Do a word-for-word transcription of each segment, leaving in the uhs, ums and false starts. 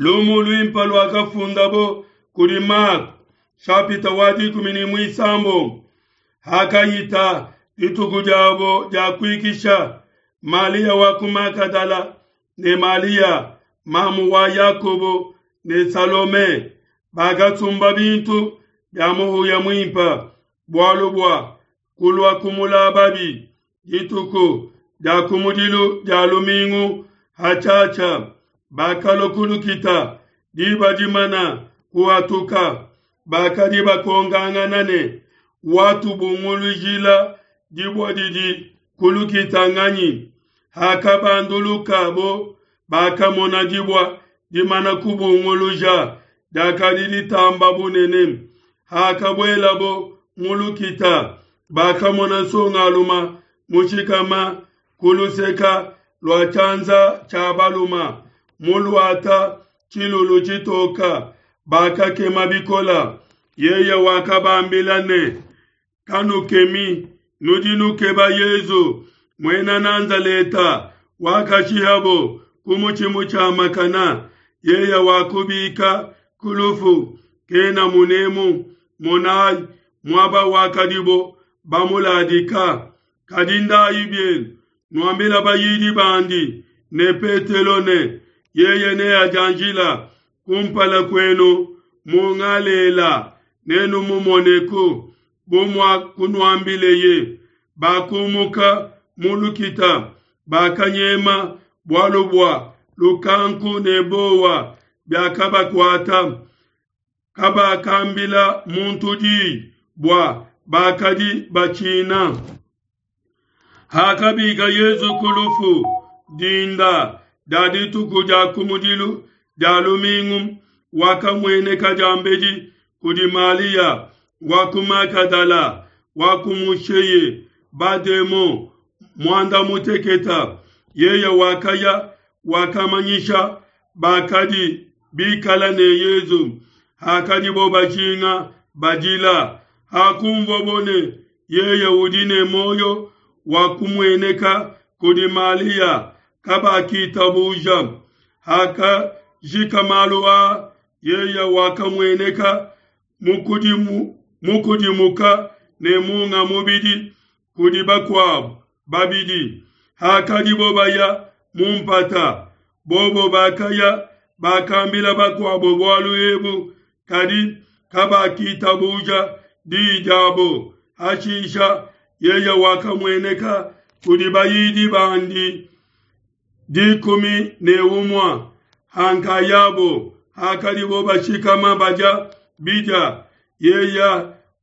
Lumu luimpe luakafundabo kudi Mako, shapita wa dikumi ne muisambombo. Hakahita dituku diabo dia kuikisha, Malia wa ku Magadala ne Malia mamu wa Yakobo ne Salome bakasumba bintu bia muhuya muimpe bualu bua kulua kumulababi dituku dia kumudilu dia lumingu hatshiatshia. Bakalua ku lukita diba dimana kuhatuka, bakadi bakongangana ne, watubungulujila dibue didi ku lukita nganyi? Hakabandulukabo, bakamona dibue dimana kubunguluja, diakadi ditamba bunene. Hakabuelabo mu lukita, bakamona nsongalume mushikama ku luseke lua tshianza tshia balume, muluate tshilulu tshitoke, bakakema bikole. Yeye wakabambila ne, kanukemi, nudi nukeba Yesu Muena Nazaleta wakashihabo ku mutshi mutshiamakane. Yeye wakubika ku lufu, kena munemu. Monai muaba wakadibo bamuladika. Kadi ndayi bienu, nuambile bayidi bandi ne Petelo ne, yeye neadianjile kumpala kuenu mu Galela, nenumumoneku, bu muakunuambileye. Bakumuka mu lukita, bakanyema, bualu bua lukanku ne buowa biakabakuata. Kabakambila muntu diyi, bua bakadi batshina. Hakabika Yesu ku lufu dinda dia dituku dia kumudilu dia lumingu, wakamueneka diambedi kudi Malia wa ku Magadala, wakumusheye bademon muanda mutekete. Yeye wakaya wakamanyisha bakadi bikala ne Yesu hakadibo bajinga badila. Hakunvuabo ne yeye udi ne muoyo, wakumueneka kudi Malia, kabakitabuja. Hakajika malu aa, yeye wakamueneka mukudimu, mukudimuka ne munga mubidi kudi bakuabo babidi hakadibo baya mu mpata. Bobo bakaya bakambila bakuabo bualu ebu, kadi kabakitabuja diyi diabo. Hashisha yeye wakamueneka kudi bayidi bandi dikumi ne umue hankayabo, hakadibo bashikama badia bidia. Yeye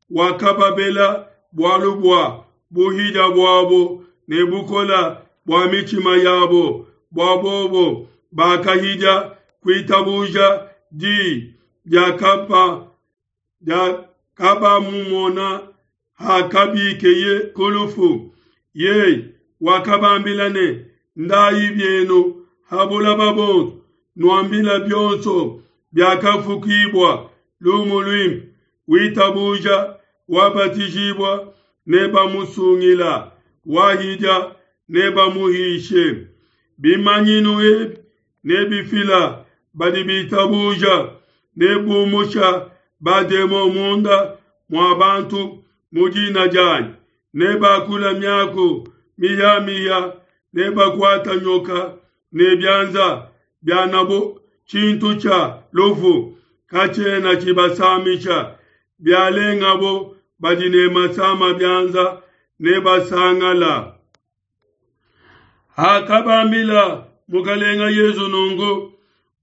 wakababela bualu bua buhidia buabo ne bukole bua mitshima yabo, bua bobo bakahidia kuitabuja diyi diakabamumona hakabikeye ku lufu. Yeye wakabambila ne, ndayi bienu ha bulaba bonso, nuambila bionso biakafukibua lumu luimpe. Witabuja wabatijibua nebamusungila, wahidia nebamuhishe. Bimanyinu ebi nebifila badi bitabuja, nebumusha bademon munda mua bantu mu dina dianyi, nebakula miaku mihiamihia, nebakuata nyoka ne bianza bianabo tshintu tshia lufu katshiena tshibasamisha. Bialengabo badi ne masama bianza nebasangala. Hakabambila Mukalenga Yesu nunku,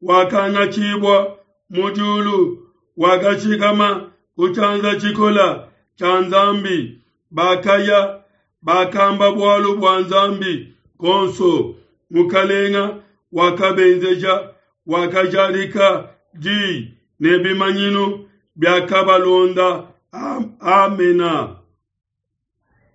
wakangatshibua mu diulu, wakashikama ku tshianza tshikola tshia Nzambi. Bakaya bakamba bualu bua Nzambi konso. Mukalenga wakabenzeja, wakajadika diyi ne bimanyinu biakabalonda. Amena.